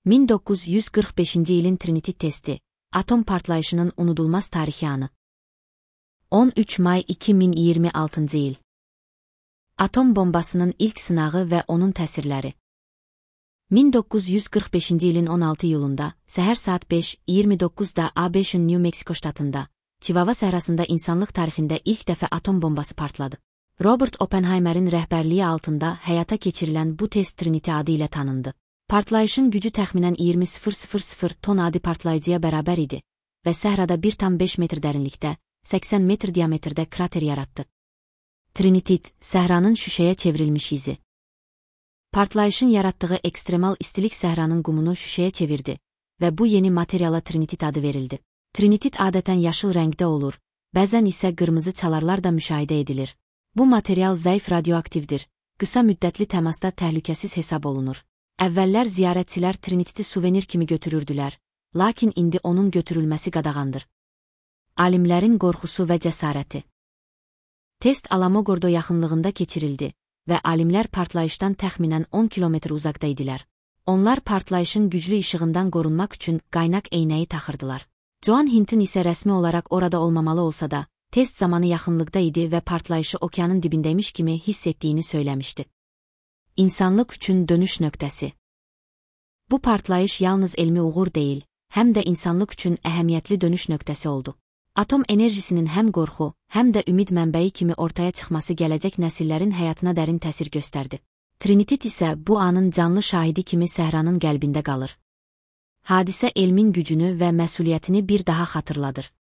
1945-ci ilin Trinity testi, atom partlayışının unudulmaz tarixi anı. 13 may 2026-cı il. Atom bombasının ilk sınağı və onun təsirləri. 1945-ci ilin 16 iyulunda, səhər saat 5:29-da ABŞ-ın New Mexico ştatında, Chihuahua səhrasında insanlıq tarixində ilk dəfə atom bombası partladı. Robert Oppenheimer'in rəhbərliyi altında həyata keçirilən bu test Trinity adı ilə tanındı. Partlayışın gücü təxminən 20,000 ton adi partlayıcıya bərabər idi və səhrada 1,5 metr dərinlikdə, 80 metr diametrdə krater yaratdı. Trinity, səhranın şüşəyə çevrilmiş izi. Partlayışın yaratdığı ekstremal istilik səhranın qumunu şüşəyə çevirdi və bu yeni materiala Trinity adı verildi. Trinity adətən yaşıl rəngdə olur, bəzən isə qırmızı çalarlar da müşahidə edilir. Bu material zəif radioaktivdir, qısa müddətli təmasda təhlükəsiz hesab olunur. Əvvəllər ziyarətçilər Trinity suvenir kimi götürürdülər, lakin indi onun götürülməsi qadağandır. Alimlərin qorxusu və cəsarəti. Test Alamogordo yaxınlığında keçirildi və alimlər partlayışdan təxminən 10 kilometr uzaqda idilər. Onlar partlayışın güclü işığından qorunmaq üçün qaynaq eynəyi taxırdılar. Joan Hinton isə rəsmi olaraq orada olmamalı olsa da, test zamanı yaxınlıqda idi və partlayışı okeanın dibindəymiş kimi hiss etdiyini söyləmişdi. İnsanlıq üçün dönüş nöqtəsi. Bu partlayış yalnız elmi uğur deyil, həm də insanlıq üçün əhəmiyyətli dönüş nöqtəsi oldu. Atom enerjisinin həm qorxu, həm də ümid mənbəyi kimi ortaya çıxması gələcək nəsillərin həyatına dərin təsir göstərdi. Trinity isə bu anın canlı şahidi kimi səhranın qəlbində qalır. Hadisə elmin gücünü və məsuliyyətini bir daha xatırladır.